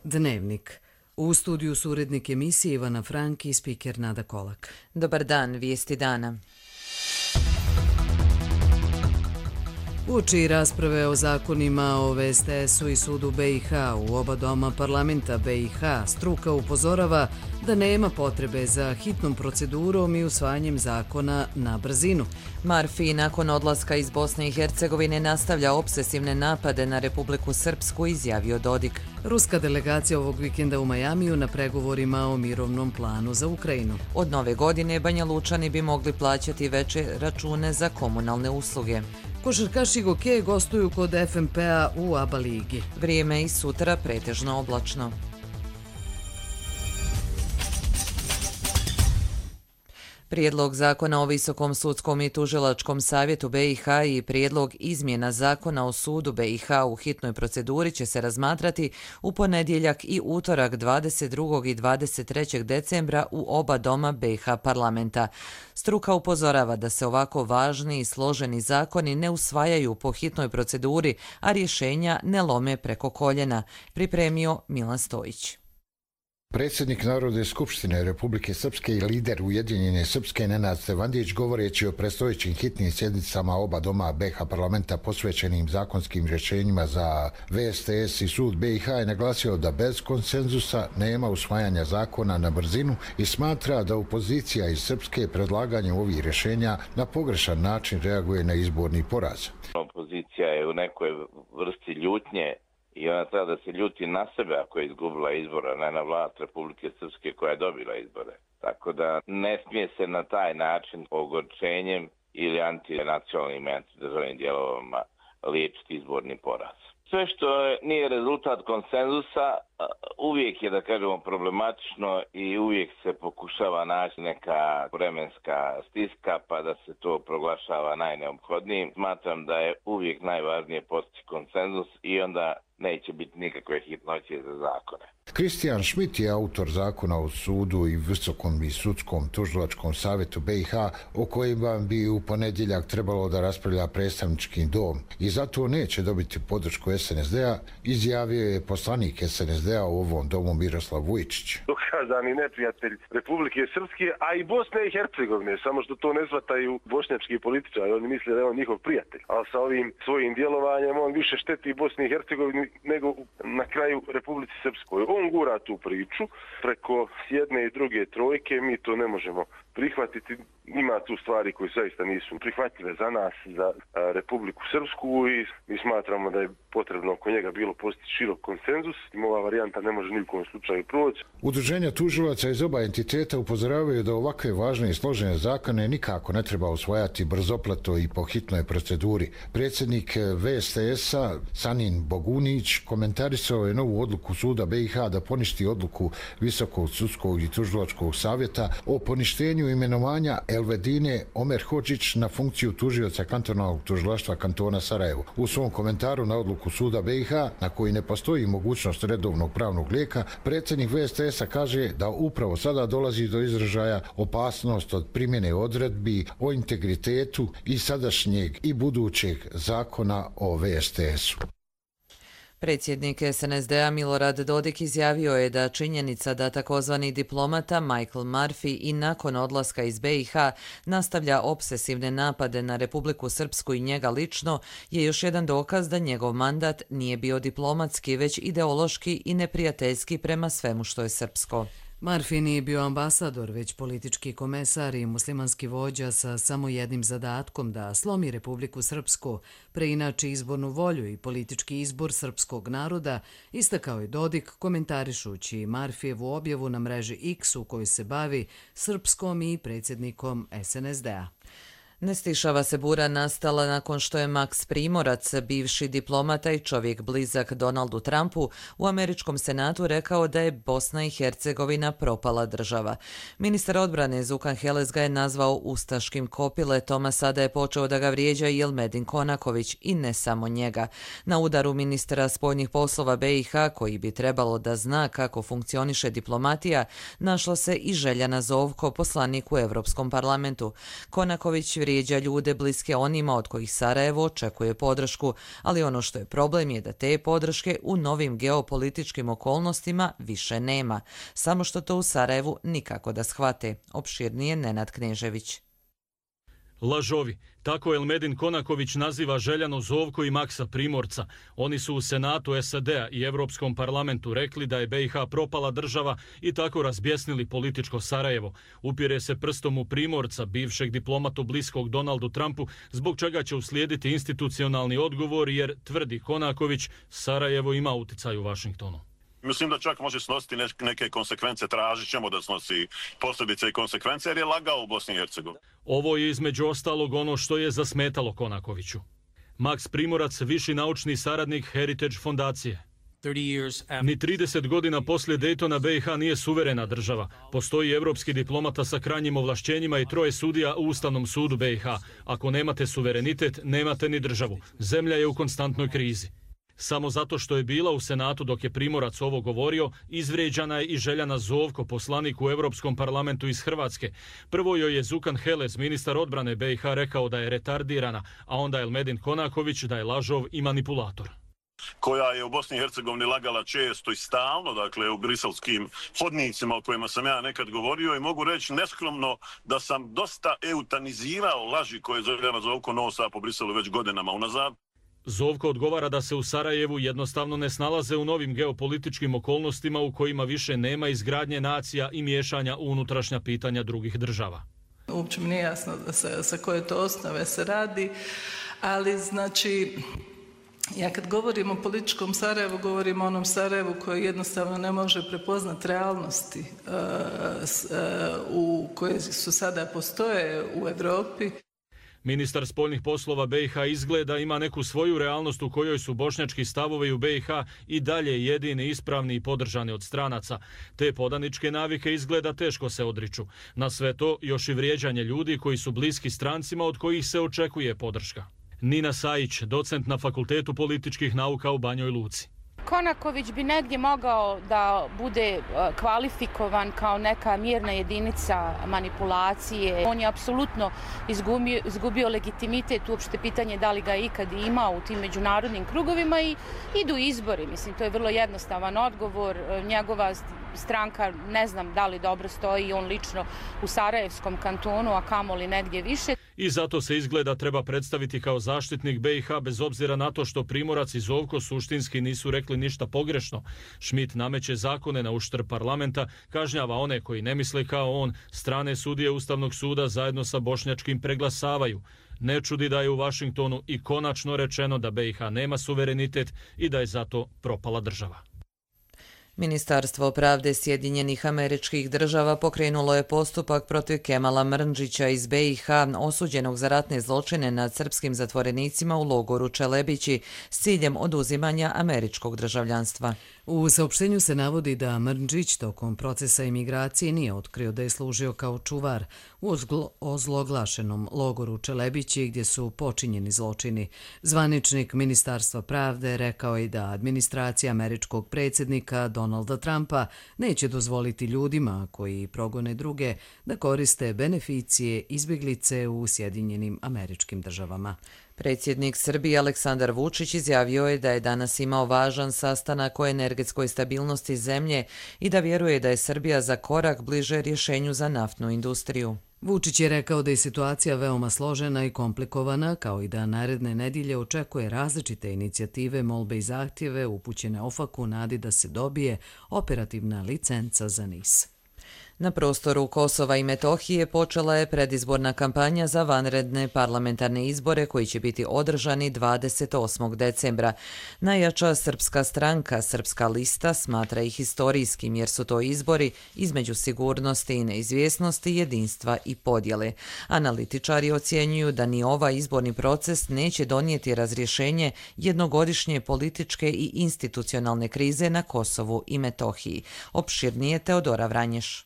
Dnevnik. U studiju su urednik emisije Ivana Frank i spiker Nada Kolak. Dobar dan, vijesti dana. Uoči rasprave o zakonima o VSTS-u i sudu BiH u oba doma parlamenta BiH, struka upozorava da nema potrebe za hitnom procedurom i usvajanjem zakona na brzinu. Marfi nakon odlaska iz Bosne i Hercegovine nastavlja obsesivne napade na Republiku Srpsku, izjavio Dodik. Ruska delegacija ovog vikenda u Majamiju na pregovorima o mirovnom planu za Ukrajinu. Od nove godine Banja Lučani bi mogli plaćati veće račune za komunalne usluge. Košarkaši Goke gostuju kod FNP-a u ABA ligi. Vrijeme i sutra pretežno oblačno. Prijedlog zakona o Visokom sudskom i tužilačkom savjetu BiH i prijedlog izmjena zakona o sudu BiH u hitnoj proceduri će se razmatrati u ponedjeljak i utorak 22. i 23. decembra u oba doma BiH parlamenta. Struka upozorava da se ovako važni i složeni zakoni ne usvajaju po hitnoj proceduri, a rješenja ne lome preko koljena, pripremio Milan Stojić. Predsjednik Narodne skupštine Republike Srpske i lider Ujedinjene Srpske Nenad Stevandić, govoreći o predstojećim hitnim sjednicama oba doma BiH parlamenta posvećenim zakonskim rješenjima za VSTS i sud BiH, je naglasio da bez konsenzusa nema usvajanja zakona na brzinu i smatra da opozicija iz Srpske predlaganjem ovih rješenja na pogrešan način reaguje na izborni poraz. Opozicija je u nekoj vrsti ljutnje i ona treba da se ljuti na sebe ako je izgubila izbora, ne na vlast Republike Srpske koja je dobila izbore. Tako da ne smije se na taj način ogorčenjem ili antinacionalnim i antidržavnim dijelovima liječiti izborni poraz. Sve što nije rezultat konsenzusa uvijek je, da kažemo, problematično i uvijek se pokušava naći neka vremenska stiska pa da se to proglašava najneophodnijim. Smatram da je uvijek najvažnije postići konsenzus i onda neće biti nikakve hitnoće za zakone. Kristijan Šmit je autor zakona o sudu i Visokom i sudskom tužilačkom savjetu BiH, o kojima bi u ponedjeljak trebalo da raspravlja predstavnički dom i zato neće dobiti podršku SNSD-a, izjavio je poslanik SNSD-a u ovom domu Miroslav Vujčić. Dokazani neprijatelj Republike Srpske, a i Bosne i Hercegovine, samo što to ne shvataju bošnjački političari, oni misle da je on njihov prijatelj, ali sa ovim svojim djelovanjem on više šteti Bosni i Hercegovini nego na kraju Republici Srpskoj. On gura tu priču preko jedne i druge trojke, mi to ne možemo prihvatiti. Ima tu stvari koje zaista nisu prihvatljive za nas, za Republiku Srpsku, i mi smatramo da je potrebno oko njega bilo postići širok konsenzus. Ova varijanta ne može ni u kojem slučaju proći. Udruženja tužilaca iz oba entiteta upozoravaju da ovakve važne i složene zakone nikako ne treba usvajati brzopleto i po hitnoj proceduri. Predsjednik VSTS-a Sanin Bogunić komentarisao je novu odluku suda BiH da poništi odluku Visokog sudskog i tužilačkog savjeta o poništenju imenovanja Elvedine Omer Hodžić na funkciju tužioca kantonalnog tužilaštva kantona Sarajevo. U svom komentaru na odluku suda BiH, na koji ne postoji mogućnost redovnog pravnog lijeka, predsjednik VSTS-a kaže da upravo sada dolazi do izražaja opasnost od primjene odredbi o integritetu i sadašnjeg i budućeg zakona o VSTS-u. Predsjednik SNSD-a Milorad Dodik izjavio je da činjenica da takozvani diplomata Michael Murphy i nakon odlaska iz BiH nastavlja obsesivne napade na Republiku Srpsku i njega lično je još jedan dokaz da njegov mandat nije bio diplomatski, već ideološki i neprijateljski prema svemu što je srpsko. Murphy nije bio ambasador, već politički komesar i muslimanski vođa sa samo jednim zadatkom da slomi Republiku Srpsku, preinači izbornu volju i politički izbor srpskog naroda, istakao je Dodik komentarišući Murphyjevu objavu na mreži X u kojoj se bavi srpskom i predsjednikom SNSD-a. Ne stišava se bura nastala nakon što je Max Primorac, bivši diplomata i čovjek blizak Donaldu Trumpu, u američkom senatu rekao da je Bosna i Hercegovina propala država. Ministar odbrane Zukan Heles ga je nazvao ustaškim kopiletom, a sada je počeo da ga vrijeđa i Elmedin Konaković, i ne samo njega. Na udaru ministra spoljnih poslova BiH, koji bi trebalo da zna kako funkcioniše diplomatija, našla se i Željana Zovko, poslanik u Europskom parlamentu. Konaković vrijeđa ljude bliske onima od kojih Sarajevo očekuje podršku, ali ono što je problem je da te podrške u novim geopolitičkim okolnostima više nema, samo što to u Sarajevu nikako da shvate. Opširnije Nenad Knežević. Lažovi. Tako Elmedin Konaković naziva Željanu Zovko i Maksa Primorca. Oni su u Senatu SAD-a i Europskom parlamentu rekli da je BiH propala država i tako razbjesnili političko Sarajevo. Upire se prstom u Primorca, bivšeg diplomatu bliskog Donaldu Trumpu, zbog čega će uslijediti institucionalni odgovor jer, tvrdi Konaković, Sarajevo ima uticaj u Vašingtonu. Mislim da čak može snositi neke konsekvence, tražit ćemo da snosi posljedice i konsekvence jer je lagao u Bosni i Hercegovini. Ovo je između ostalog ono što je zasmetalo Konakoviću. Maks Primorac, viši naučni saradnik Heritage fondacije. Ni 30 godina poslije Daytona BiH nije suverena država. Postoji evropski diplomata sa krajnjim ovlašćenjima i 3 sudija u Ustavnom sudu BiH. Ako nemate suverenitet, nemate ni državu. Zemlja je u konstantnoj krizi. Samo zato što je bila u Senatu dok je Primorac ovo govorio, izvrijeđana je i Željana Zovko, poslanik u Europskom parlamentu iz Hrvatske. Prvo joj je Zukan Helez, ministar odbrane BiH, rekao da je retardirana, a onda Elmedin Konaković da je lažov i manipulator. Koja je u Bosni i Hercegovini lagala često i stalno, dakle u briselskim hodnicima o kojima sam ja nekad govorio i mogu reći neskromno da sam dosta eutanizirao laži koje Željana Zovko nosa po Briselu već godinama unazad. Zovko odgovara da se u Sarajevu jednostavno ne snalaze u novim geopolitičkim okolnostima u kojima više nema izgradnje nacija i miješanja u unutrašnja pitanja drugih država. Uopće mi nije jasno sa koje to osnove se radi, ali znači ja kad govorim o političkom Sarajevu, govorim o onom Sarajevu koji jednostavno ne može prepoznati realnosti koje su sada postoje u Europi. Ministar spoljnih poslova BiH izgleda ima neku svoju realnost u kojoj su bošnjački stavovi u BiH i dalje jedini, ispravni i podržani od stranaca. Te podaničke navike izgleda teško se odriču. Na sve to još i vrijeđanje ljudi koji su bliski strancima od kojih se očekuje podrška. Nina Sajić, docent na Fakultetu političkih nauka u Banjoj Luci. Konaković bi negdje mogao da bude kvalifikovan kao neka mirna jedinica manipulacije. On je apsolutno izgubio legitimitet, uopšte pitanje da li ga je ikad imao u tim međunarodnim krugovima i idu izbori. Mislim, to je vrlo jednostavan odgovor. Njegova stranka ne znam da li dobro stoji, on lično u Sarajevskom kantonu, a kamoli negdje više. I zato se izgleda treba predstaviti kao zaštitnik BiH bez obzira na to što Primorac i Zovko suštinski nisu rekli ništa pogrešno. Schmidt nameće zakone na uštrb parlamenta, kažnjava one koji ne misle kao on, strane sudije Ustavnog suda zajedno sa bošnjačkim preglasavaju. Ne čudi da je u Vašingtonu i konačno rečeno da BiH nema suverenitet i da je zato propala država. Ministarstvo pravde Sjedinjenih Američkih Država pokrenulo je postupak protiv Kemala Mrnđića iz BiH, osuđenog za ratne zločine nad srpskim zatvorenicima u logoru Čelebići s ciljem oduzimanja američkog državljanstva. U saopštenju se navodi da Mrnđić tokom procesa imigracije nije otkrio da je služio kao čuvar u ozloglašenom logoru Čelebići gdje su počinjeni zločini. Zvaničnik Ministarstva pravde rekao je da administracija američkog predsjednika Donalda Trumpa neće dozvoliti ljudima koji progone druge da koriste beneficije izbjeglice u Sjedinjenim Američkim Državama. Predsjednik Srbije Aleksandar Vučić izjavio je da je danas imao važan sastanak o energetskoj stabilnosti zemlje i da vjeruje da je Srbija za korak bliže rješenju za naftnu industriju. Vučić je rekao da je situacija veoma složena i komplikovana, kao i da naredne nedjelje očekuje različite inicijative, molbe i zahtjeve upućene OFAC-u u nadi da se dobije operativna licenca za NIS. Na prostoru Kosova i Metohije počela je predizborna kampanja za vanredne parlamentarne izbore koji će biti održani 28. decembra. Najjača srpska stranka, Srpska lista, smatra ih historijskim jer su to izbori između sigurnosti i neizvjesnosti, jedinstva i podjele. Analitičari ocjenjuju da ni ovaj izborni proces neće donijeti razrješenje jednogodišnje političke i institucionalne krize na Kosovu i Metohiji. Opširnije Teodora Vranješ.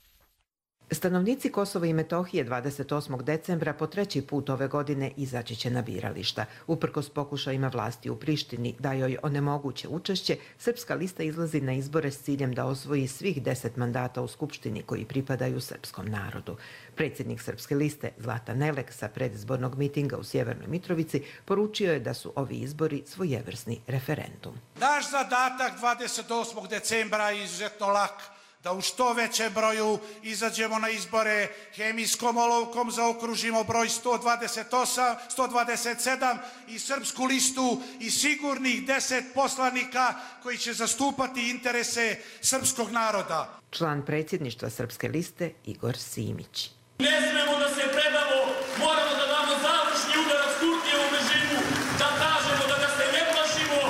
Stanovnici Kosova i Metohije 28. decembra po 3. put ove godine izaći će na birališta. Uprkos pokušajima vlasti u Prištini da joj onemoguće učešće, Srpska lista izlazi na izbore s ciljem da osvoji svih 10 mandata u Skupštini koji pripadaju srpskom narodu. Predsjednik Srpske liste Zlatan Nelek sa predizbornog mitinga u Sjevernoj Mitrovici poručio je da su ovi izbori svojevrsni referendum. Naš zadatak 28. decembra je izuzetno lak, da u što većem broju izađemo na izbore, hemijskom olovkom zaokružimo broj 128, 127 i Srpsku listu i sigurnih 10 poslanika koji će zastupati interese srpskog naroda. Član predsjedništva Srpske liste Igor Simić. Ne smemo da se predamo, moramo da damo završni udarac Kurtijevom režimu, da kažemo da ga se ne plašimo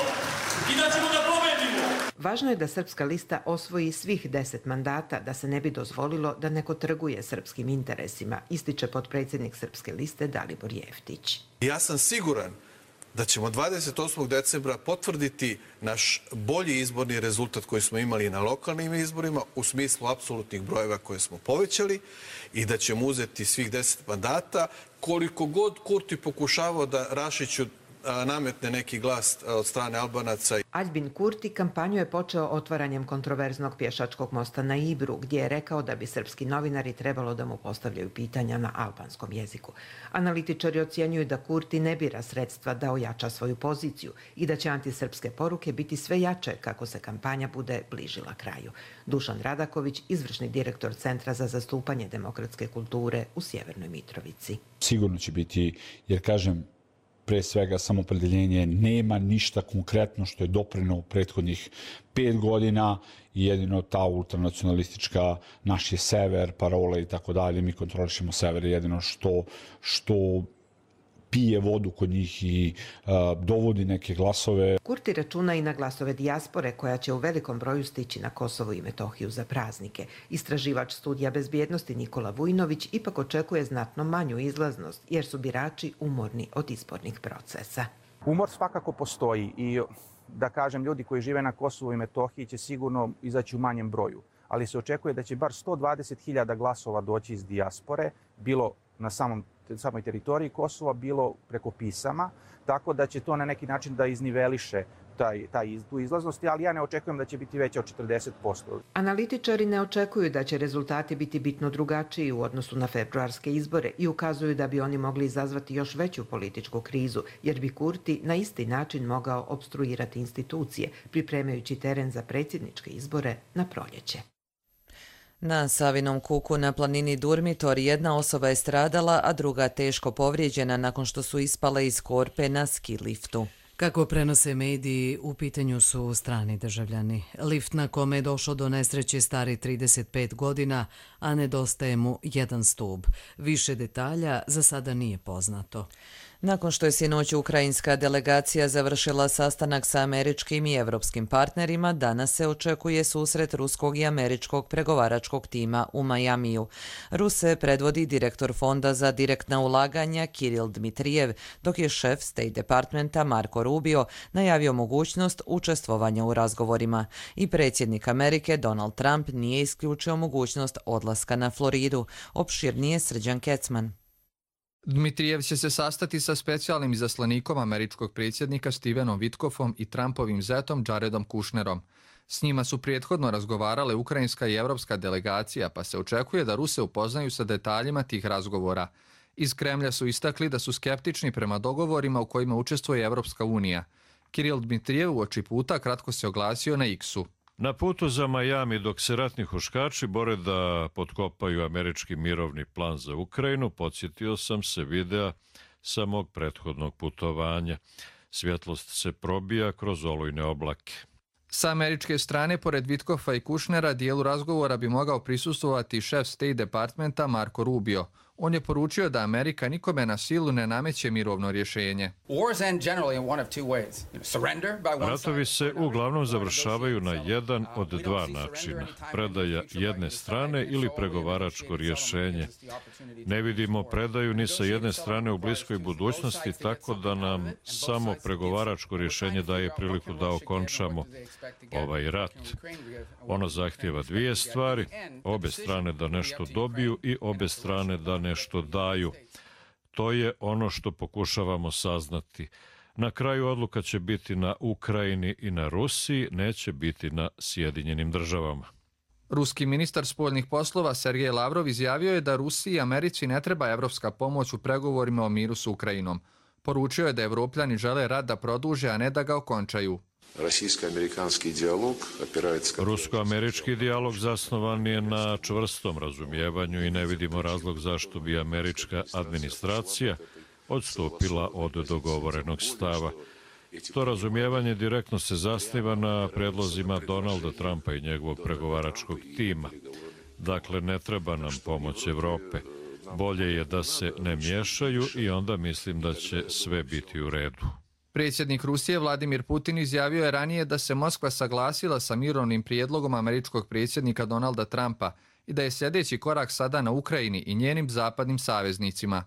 i da ćemo da pobedimo. Važno je da Srpska lista osvoji svih 10 mandata, da se ne bi dozvolilo da neko trguje srpskim interesima, ističe potpredsjednik Srpske liste Dalibor Jeftić. Ja sam siguran da ćemo 28. decembra potvrditi naš bolji izborni rezultat koji smo imali na lokalnim izborima u smislu apsolutnih brojeva koje smo povećali i da ćemo uzeti svih 10 mandata. Koliko god Kurti pokušavao da Rašiću nametne neki glas od strane Albanaca. Aljbin Kurti kampanju je počeo otvaranjem kontroverznog pješačkog mosta na Ibru, gdje je rekao da bi srpski novinari trebalo da mu postavljaju pitanja na albanskom jeziku. Analitičari ocjenjuju da Kurti ne bira sredstva da ojača svoju poziciju i da će antisrpske poruke biti sve jače kako se kampanja bude bližila kraju. Dušan Radaković, izvršni direktor Centra za zastupanje demokratske kulture u Sjevernoj Mitrovici. Sigurno će biti, jer kažem, pre svega samopredeljenje nema ništa konkretno što je doprinelo u prethodnih 5 godina i jedino ta ultranacionalistička naš je sever, parole i tako dalje, mi kontrolišemo sever, jedino što pije vodu kod njih i dovodi neke glasove. Kurti računa i na glasove dijaspore koja će u velikom broju stići na Kosovo i Metohiju za praznike. Istraživač studija bezbjednosti Nikola Vujnović ipak očekuje znatno manju izlaznost jer su birači umorni od izbornih procesa. Umor svakako postoji i da kažem ljudi koji žive na Kosovu i Metohiji će sigurno izaći u manjem broju, ali se očekuje da će bar 120.000 glasova doći iz dijaspore, bilo na samoj teritoriji Kosova, bilo preko pisama, tako da će to na neki način da izniveliše tu izlaznost, ali ja ne očekujem da će biti veća od 40%. Analitičari ne očekuju da će rezultati biti bitno drugačiji u odnosu na februarske izbore i ukazuju da bi oni mogli izazvati još veću političku krizu, jer bi Kurti na isti način mogao opstruirati institucije, pripremajući teren za predsjedničke izbore na proljeće. Na Savinom kuku na planini Durmitor jedna osoba je stradala, a druga teško povrijeđena nakon što su ispale iz korpe na ski liftu. Kako prenose mediji, u pitanju su strani državljani. Lift na kome je došao do nesreće stari 35 godina, a nedostaje mu jedan stub. Više detalja za sada nije poznato. Nakon što je sinoć ukrajinska delegacija završila sastanak sa američkim i evropskim partnerima, danas se očekuje susret ruskog i američkog pregovaračkog tima u Majamiju. Ruse predvodi direktor Fonda za direktna ulaganja Kiril Dmitrijev, dok je šef State Departmenta Marco Rubio najavio mogućnost učestvovanja u razgovorima. I predsjednik Amerike Donald Trump nije isključio mogućnost odlaska na Floridu. Opširnije Srđan Kecman. Dmitrijev će se sastati sa specijalnim izaslanikom američkog predsjednika Stevenom Witkoffom i Trumpovim zetom Jaredom Kushnerom. S njima su prethodno razgovarale ukrajinska i evropska delegacija, pa se očekuje da Ruse upoznaju sa detaljima tih razgovora. Iz Kremlja su istakli da su skeptični prema dogovorima u kojima učestvuje Evropska unija. Kiril Dmitrijev uoči puta kratko se oglasio na X-u. Na putu za Majami, dok se ratni huškači bore da potkopaju američki mirovni plan za Ukrajinu, podsjetio sam se videa sa mog prethodnog putovanja. Svjetlost se probija kroz olujne oblake. Sa američke strane, pored Witkoffa i Kushnera, dijelu razgovora bi mogao prisustvovati šef State Departmenta Marco Rubio. On je poručio da Amerika nikome na silu ne nameće mirovno rješenje. Ratovi se uglavnom završavaju na jedan od dva načina. Predaja jedne strane ili pregovaračko rješenje. Ne vidimo predaju ni sa jedne strane u bliskoj budućnosti, tako da nam samo pregovaračko rješenje daje priliku da okončamo ovaj rat. Ono zahtjeva dvije stvari, obe strane da nešto dobiju i obe strane da nešto daju. To je ono što pokušavamo saznati. Na kraju odluka će biti na Ukrajini i na Rusiji, neće biti na Sjedinjenim državama. Ruski ministar spoljnih poslova Sergej Lavrov izjavio je da Rusiji i Americi ne treba evropska pomoć u pregovorima o miru s Ukrajinom. Poručio je da Evropljani žele rat da produže, a ne da ga okončaju. Rusko-američki dijalog zasnovan je na čvrstom razumijevanju i ne vidimo razlog zašto bi američka administracija odstupila od dogovorenog stava. To razumijevanje direktno se zasniva na predlozima Donalda Trumpa i njegovog pregovaračkog tima. Dakle, ne treba nam pomoć Evrope. Bolje je da se ne miješaju i onda mislim da će sve biti u redu. Predsjednik Rusije Vladimir Putin izjavio je ranije da se Moskva saglasila sa mirovnim prijedlogom američkog predsjednika Donalda Trumpa i da je sljedeći korak sada na Ukrajini i njenim zapadnim saveznicima.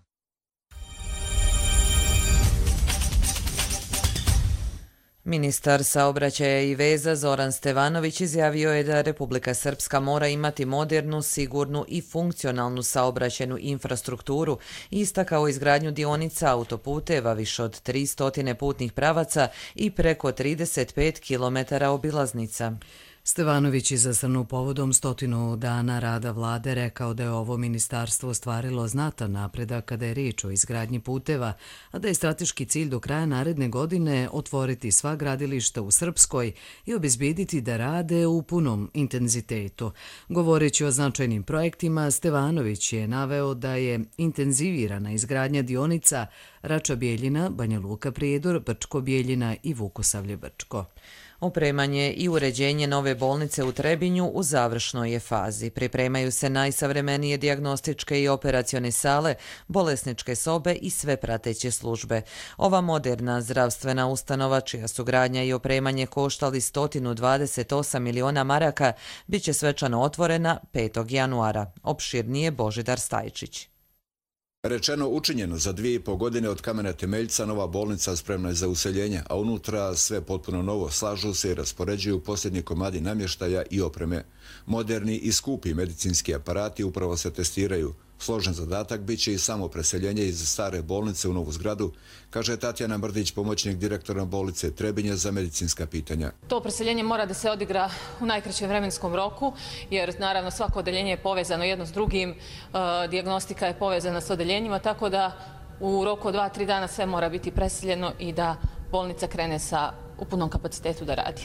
Ministar saobraćaja i veza Zoran Stevanović izjavio je da Republika Srpska mora imati modernu, sigurnu i funkcionalnu saobraćajnu infrastrukturu i istakao izgradnju dionica autoputeva više od 300 putnih pravaca i preko 35 km obilaznica. Stevanović je zasrnuo povodom 100 dana rada vlade rekao da je ovo ministarstvo ostvarilo znatan napredak kada je riječ o izgradnji puteva, a da je strateški cilj do kraja naredne godine otvoriti sva gradilišta u Srpskoj i obezbijediti da rade u punom intenzitetu. Govoreći o značajnim projektima, Stevanović je naveo da je intenzivirana izgradnja dionica Rača-Bjeljina, Banja Luka-Prijedor, Brčko-Bjeljina i Vukosavlje-Brčko. Opremanje i uređenje nove bolnice u Trebinju u završnoj je fazi. Pripremaju se najsavremenije dijagnostičke i operacione sale, bolesničke sobe i sve prateće službe. Ova moderna zdravstvena ustanova, čija su gradnja i opremanje koštali 128 miliona maraka, bit će svečano otvorena 5. januara. Opširnije Božidar Stajčić. Rečeno učinjeno, za 2,5 godine od kamena temeljca nova bolnica spremna je za useljenje, a unutra sve potpuno novo, slažu se i raspoređuju posljednji komadi namještaja i opreme. Moderni i skupi medicinski aparati upravo se testiraju. Složen zadatak bit će i samo preseljenje iz stare bolnice u novu zgradu, kaže Tatjana Mrdić, pomoćnik direktora bolnice Trebinje za medicinska pitanja. To preseljenje mora da se odigra u najkraćem vremenskom roku, jer naravno svako odeljenje je povezano jedno s drugim, dijagnostika je povezana s odeljenjima, tako da u roku od 2-3 dana sve mora biti preseljeno i da bolnica krene u punom kapacitetu da radi.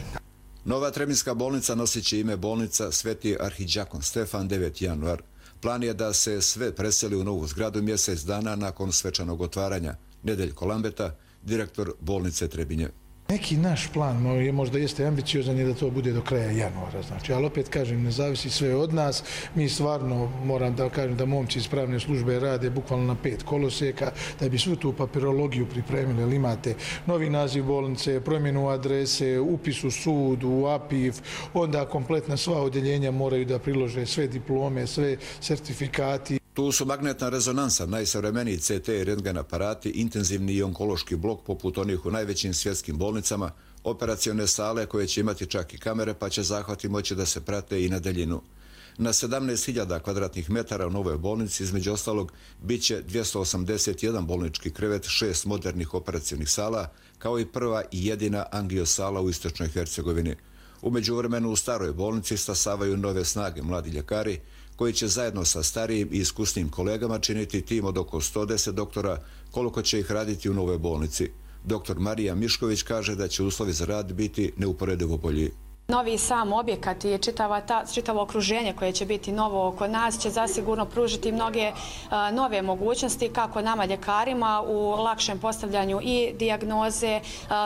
Nova Trebinjska bolnica nosit će ime bolnica Sveti arhidžakon Stefan 9. januar. Plan je da se sve preseli u novu zgradu mjesec dana nakon svečanog otvaranja. Nedeljko Lambeta, direktor bolnice Trebinje. Neki naš plan možda jeste ambiciozan je da to bude do kraja januara, ali opet kažem, ne zavisi sve od nas. Mi stvarno, moram da kažem da momci iz pravne službe rade bukvalno na 5 kolosijeka, da bi svu tu papirologiju pripremili, ali imate novi naziv bolnice, promjenu adrese, upis u sud, u APIF, onda kompletna sva odjeljenja moraju da prilože sve diplome, sve sertifikati. Tu su magnetna rezonansa, najsavremeniji CT i rentgen aparati, intenzivni i onkološki blok poput onih u najvećim svjetskim bolnicama, operacione sale koje će imati čak i kamere pa će zahvati moći da se prate i na daljinu. Na 17.000 kvadratnih metara u novoj bolnici, između ostalog, bit će 281 bolnički krevet, 6 modernih operacionih sala, kao i prva i jedina angiosala u Istočnoj Hercegovini. U međuvremenu u staroj bolnici stasavaju nove snage mladi ljekari, koji će zajedno sa starijim i iskusnim kolegama činiti tim od oko 110 doktora, koliko će ih raditi u novoj bolnici. Dr. Marija Mišković kaže da će uslovi za rad biti neuporedivo bolji. Novi sam objekat i čitavo okruženje koje će biti novo oko nas će zasigurno pružiti mnoge nove mogućnosti kako nama ljekarima u lakšem postavljanju i dijagnoze,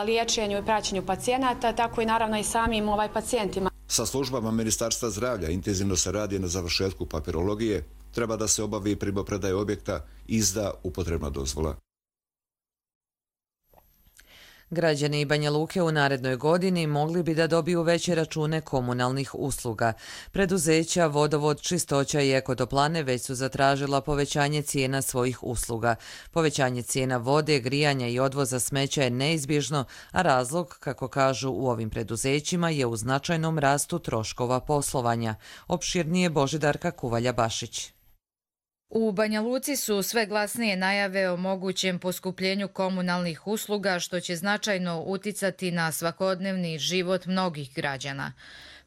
liječenju i praćenju pacijenata, tako i naravno i samim pacijentima. Sa službama Ministarstva zdravlja intenzivno se radi na završetku papirologije. treba da se obavi primopredaja objekta, izda upotrebna dozvola. Građani Banja Luke u narednoj godini mogli bi da dobiju veće račune komunalnih usluga. Preduzeća Vodovod, Čistoća i Ekotoplane već su zatražila povećanje cijena svojih usluga. Povećanje cijena vode, grijanja i odvoza smeća je neizbježno, a razlog, kako kažu u ovim preduzećima, je u značajnom rastu troškova poslovanja. Opširnije Božidarka Kuvalja-Bašić. U Banja Luci su sve glasnije najave o mogućem poskupljenju komunalnih usluga, što će značajno uticati na svakodnevni život mnogih građana.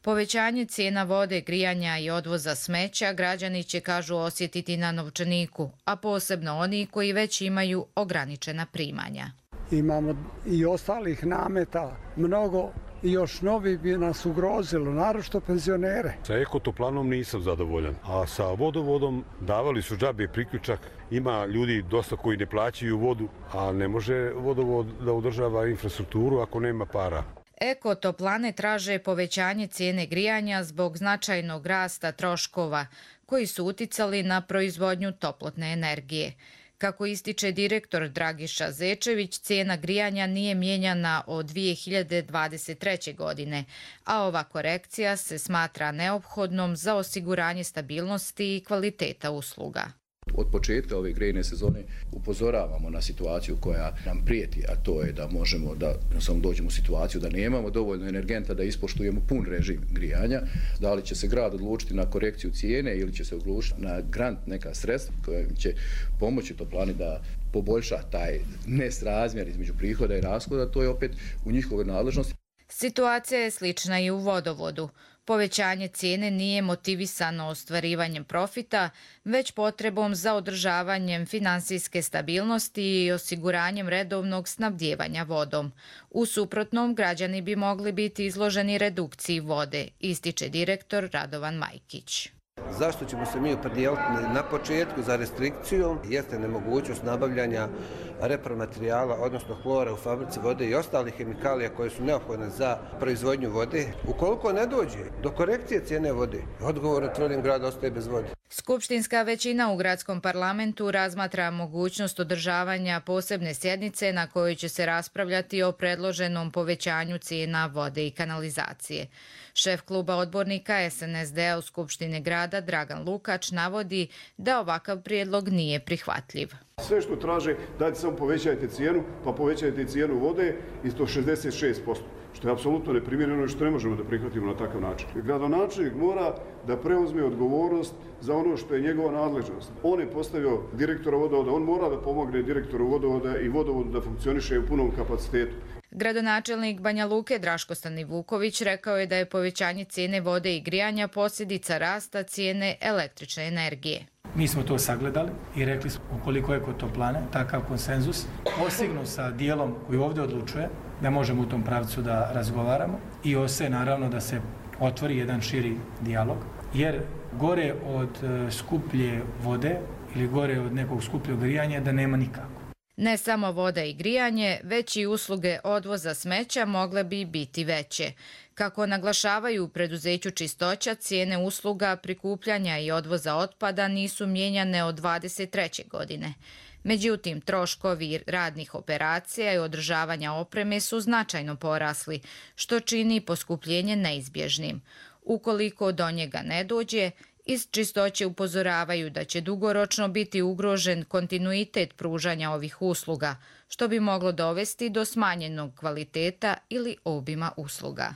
Povećanje cijena vode, grijanja i odvoza smeća građani će, kažu, osjetiti na novčaniku, a posebno oni koji već imaju ograničena primanja. Imamo i ostalih nameta mnogo i još novi bi nas ugrozilo, naročito penzionere. Sa Ekotoplanom nisam zadovoljan, a sa Vodovodom davali su džabe priključak. Ima ljudi dosta koji ne plaćaju vodu, a ne može Vodovod da održava infrastrukturu ako nema para. Ekotoplane traže povećanje cijene grijanja zbog značajnog rasta troškova koji su uticali na proizvodnju toplotne energije. Kako ističe direktor Dragiša Zečević, cijena grijanja nije mijenjana od 2023. godine, a ova korekcija se smatra neophodnom za osiguranje stabilnosti i kvaliteta usluga. Od početka ove grejne sezone upozoravamo na situaciju koja nam prijeti, a to je da možemo da samo dođemo u situaciju da nemamo dovoljno energenta da ispoštujemo pun režim grijanja. Da li će se grad odlučiti na korekciju cijene ili će se odlučiti na grant, neka sredstva koja će pomoći Toplani da poboljša taj nesrazmjer između prihoda i rashoda, to je opet u njihovoj nadležnosti. Situacija je slična i u Vodovodu. Povećanje cijene nije motivisano ostvarivanjem profita, već potrebom za održavanjem finansijske stabilnosti i osiguranjem redovnog snabdijevanja vodom. U suprotnom, građani bi mogli biti izloženi redukciji vode, ističe direktor Radovan Majkić. Zašto ćemo se mi opredijeliti na početku za restrikciju jeste nemogućnost nabavljanja repromaterijala, odnosno hlora u fabrici vode i ostalih hemikalija koje su neophodne za proizvodnju vode. Ukoliko ne dođe do korekcije cijene vode, odgovorno tvrdim grad ostaje bez vode. Skupštinska većina u gradskom parlamentu razmatra mogućnost održavanja posebne sjednice na kojoj će se raspravljati o predloženom povećanju cijena vode i kanalizacije. Šef kluba odbornika SNSD-a u Skupštine grada Dragan Lukač navodi da ovakav prijedlog nije prihvatljiv. Sve što traže, dajte samo povećajte cijenu, pa povećajte cijenu vode i to 66%, što je apsolutno neprimjereno i što ne možemo da prihvatimo na takav način. Gradonačelnik mora da preuzme odgovornost za ono što je njegova nadležnost. On je postavio direktora vodovoda, on mora da pomogne direktoru vodovoda i vodovodu da funkcioniše u punom kapacitetu. Gradonačelnik Banja Luke Draško Stanivuković rekao je da je povećanje cijene vode i grijanja posljedica rasta cijene električne energije. Mi smo to sagledali i rekli smo ukoliko Ekotoplane takav konsenzus postignu sa dijelom koji ovdje odlučuje, da možemo u tom pravcu da razgovaramo i OSE naravno da se otvori jedan širi dijalog, jer gore od skuplje vode ili gore od nekog skupljog grijanja da nema nikako. Ne samo voda i grijanje, već i usluge odvoza smeća mogle bi biti veće. Kako naglašavaju u preduzeću Čistoća, cijene usluga prikupljanja i odvoza otpada nisu mijenjane od 2023. godine. Međutim, troškovi radnih operacija i održavanja opreme su značajno porasli, što čini poskupljenje neizbježnim. Ukoliko do njega ne dođe, iz Čistoće upozoravaju da će dugoročno biti ugrožen kontinuitet pružanja ovih usluga, što bi moglo dovesti do smanjenog kvaliteta ili obima usluga.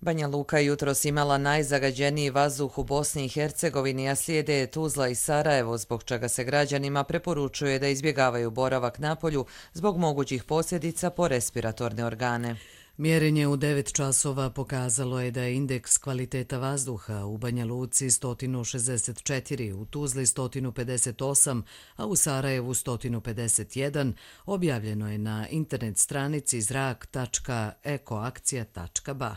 Banja Luka jutros imala najzagađeniji vazduh u Bosni i Hercegovini, a slijede je Tuzla i Sarajevo, zbog čega se građanima preporučuje da izbjegavaju boravak napolju zbog mogućih posljedica po respiratorne organe. Mjerenje u 9 časova pokazalo je da je indeks kvaliteta vazduha u Banja Luci 164, u Tuzli 158, a u Sarajevu 151, objavljeno je na internet stranici zrak.ekoakcija.ba.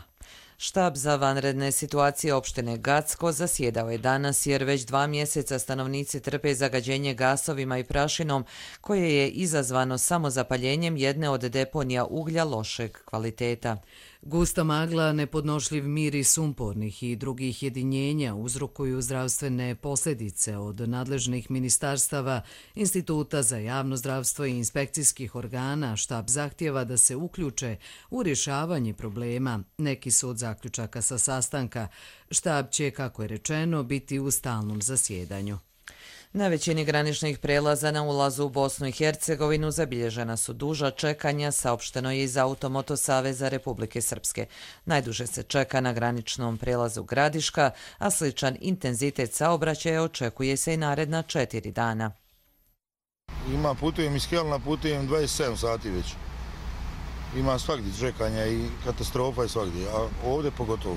Štab za vanredne situacije opštine Gacko zasjedao je danas jer već 2 mjeseca stanovnici trpe zagađenje gasovima i prašinom koje je izazvano samozapaljenjem jedne od deponija uglja lošeg kvaliteta. Gusta magla, nepodnošljiv miris sumpornih i drugih jedinjenja uzrokuju zdravstvene posljedice od nadležnih ministarstava, Instituta za javno zdravstvo i inspekcijskih organa. Štab zahtjeva da se uključe u rješavanje problema. Neki su od zaključaka sa sastanka. Štab će, kako je rečeno, biti u stalnom zasjedanju. Na većini graničnih prelaza na ulazu u Bosnu i Hercegovinu zabilježena su duža čekanja, saopšteno je iz Automoto Saveza Republike Srpske. Najduže se čeka na graničnom prelazu Gradiška, a sličan intenzitet saobraćaja očekuje se i naredna 4 dana. Putujem iz Kelna, putujem 27 sati već. Ima svagdje čekanja i katastrofa je svagdje, a ovdje pogotovo.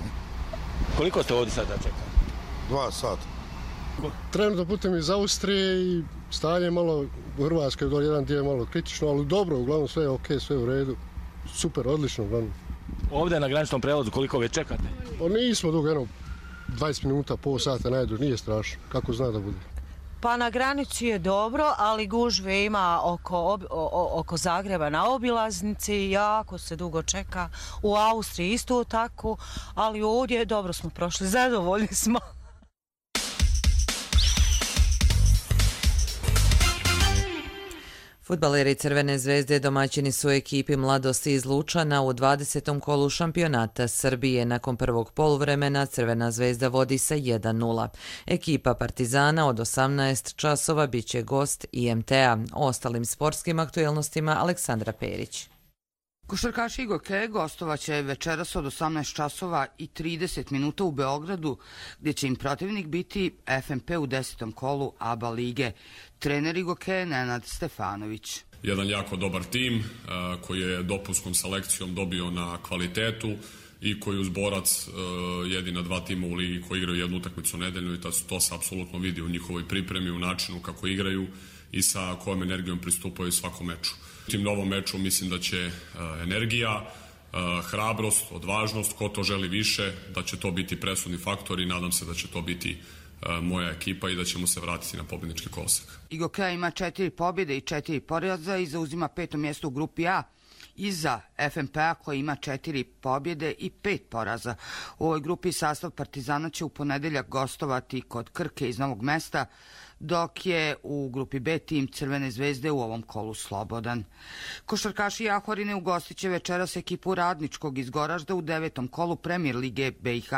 Koliko ste ovdje sada čekali? 2 sata. Trenutno putem iz Austrije i stanje malo u Hrvatskoj, jedan dio je malo kritično, ali dobro, uglavnom sve je ok, sve je u redu. Super, odlično, uglavnom. Ovdje na graničnom prelazu koliko već čekate? Pa nismo dugo, 20 minuta, pol sata najduže, nije strašno, kako zna da bude. Pa na granici je dobro, ali gužve ima oko Zagreba na obilaznici, jako se dugo čeka. U Austriji isto tako, ali ovdje dobro smo prošli, zadovoljni smo. Fudbaleri Crvene zvezde domaćini su ekipi Mladosti iz Lučana u 20. kolu šampionata Srbije. Nakon prvog poluvremena Crvena zvezda vodi sa 1:0. Ekipa Partizana od 18 časova biće gost IMT-a. O ostalim sportskim aktuelnostima Aleksandra Perić. Košarkaši Igoke gostovaće večeras od 18 časova i 30 minuta u Beogradu, gdje će im protivnik biti FNP u 10. kolu ABA lige. Trener Igoke Nenad Stefanović. Jedan jako dobar tim koji je dopunskom selekcijom dobio na kvalitetu i koji uz Borac jedina 2 tima u ligi koji igraju jednu utakmicu nedeljno i to se apsolutno vidi u njihovoj pripremi, u načinu kako igraju i sa kojom energijom pristupaju svakom meču. U tim novom meču mislim da će energija, hrabrost, odvažnost, ko to želi više, da će to biti presudni faktor i nadam se da će to biti moja ekipa i da ćemo se vratiti na pobjednički kolosek. Igoka ima 4 pobjede i 4 poraza i zauzima 5. mjesto u grupi A. Iza FNP-a koji ima 4 pobjede i 5 poraza. U ovoj grupi sastav Partizana će u ponedeljak gostovati kod Krke iz Novog Mesta, dok je u grupi B tim Crvene zvezde u ovom kolu slobodan. Košarkaši Jahorine ugostit će večeras ekipu Radničkog iz Goražda u 9. kolu Premier lige BiH.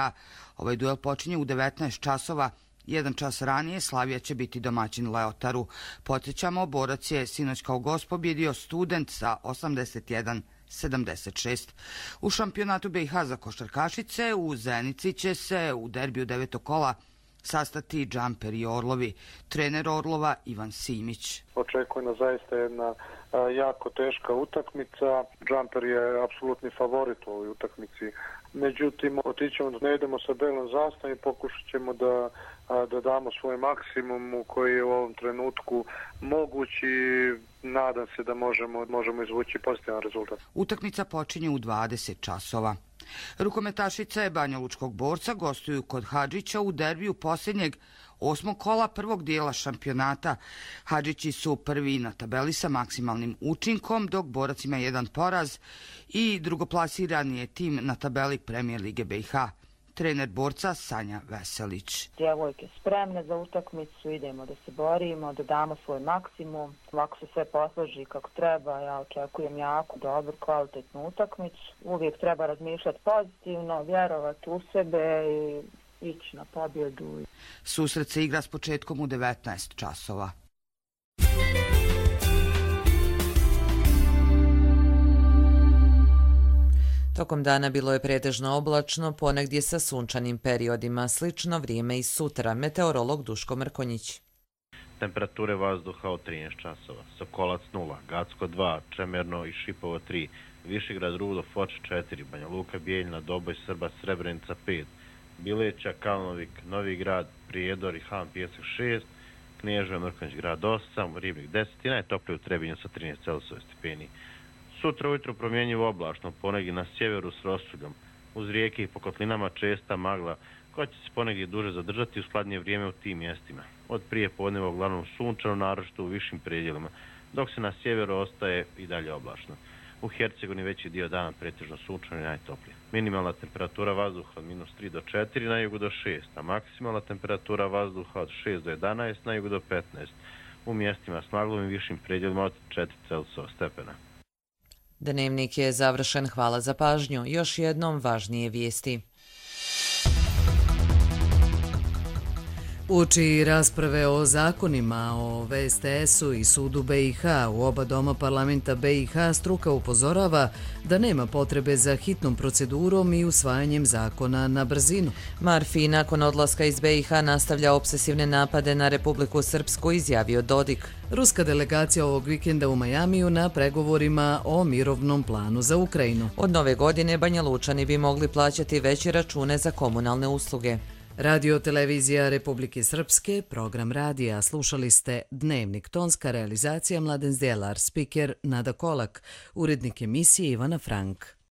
Ovaj duel počinje u 19 časova. 1 čas ranije Slavija će biti domaćin Leotaru. Podsjećamo, Borac je sinoć kao gost pobjedio Student sa 81-76. U šampionatu BiH za košarkašice u Zenici će se u derbiju 9. kola sastati Džamper i Orlovi. Trener Orlova Ivan Simić. Očekuje nas zaista jedna jako teška utakmica. Džamper je apsolutni favorit u ovoj utakmici. Međutim, otićemo da ne idemo sa belom zastavom i pokušat ćemo da damo svoj maksimum koji je u ovom trenutku mogući. Nadam se da možemo izvući pozitivan rezultat. Utakmica počinje u 20 časova. Rukometašice Banjalučkog Borca gostuju kod Hadžića u derbiju posljednjeg 8. kola prvog dijela šampionata. Hadžići su prvi na tabeli sa maksimalnim učinkom, dok Borac ima 1 poraz i drugoplasirani je tim na tabeli Premier lige BiH. Trener Borca Sanja Veselić. Djevojke spremne za utakmicu, idemo da se borimo, da damo svoj maksimum. Ovako se sve posloži kako treba, ja očekujem jako dobru, kvalitetnu utakmicu. Uvijek treba razmišljati pozitivno, vjerovati u sebe i ići na pobjedu. Susret se igra s početkom u 19 časova. Tokom dana bilo je pretežno oblačno, ponegdje sa sunčanim periodima. Slično vrijeme i sutra. Meteorolog Duško Mrkonjić. Temperature vazduha od 13 časova. Sokolac 0, Gacko 2, Čemerno i Šipovo 3, Višegrad, Rudo, Foč 4, Banja Luka, Bijeljina, Doboj, Srba, Srebrenica 5, Bileća, Kalnovik, Novi Grad, Prijedor i Han Pijesak 6, Knježeva, Mrkonjić grad 8, Ribnik 10 i najtoplije u Trebinju sa 13 Celsius stepeni. Sutra ujutro promjenjivo oblačno, ponegdje na sjeveru s rosuljom. Uz rijeke i po kotlinama česta magla, koja će se ponegdje duže zadržati u skladnije vrijeme u tim mjestima. Od prije podneva uglavnom sunčano, naročito u višim predjelima, dok se na sjeveru ostaje i dalje oblačno. U Hercegovini veći dio dana pretežno sunčano i najtoplije. Minimalna temperatura vazduha od -3 do 4, na jugu do 6, a maksimalna temperatura vazduha od 6 do 11, na jugu do 15. U mjestima s maglovim višim predjelima od 4 Celzijeva stepena. Dnevnik je završen, hvala za pažnju. Još jednom važnije vijesti. Uoči rasprave o zakonima o VSTS-u i sudu BiH u oba doma parlamenta BiH struka upozorava da nema potrebe za hitnom procedurom i usvajanjem zakona na brzinu. Marfi nakon odlaska iz BiH nastavlja obsesivne napade na Republiku Srpsku, izjavio Dodik. Ruska delegacija ovog vikenda u Majamiju na pregovorima o mirovnom planu za Ukrajinu. Od nove godine Banja Lučani bi mogli plaćati veće račune za komunalne usluge. Radio televizija Republike Srpske, program radija, slušali ste Dnevnik, tonska realizacija Mladen Zdelar, spiker Nada Kolak, urednik emisije Ivana Frank.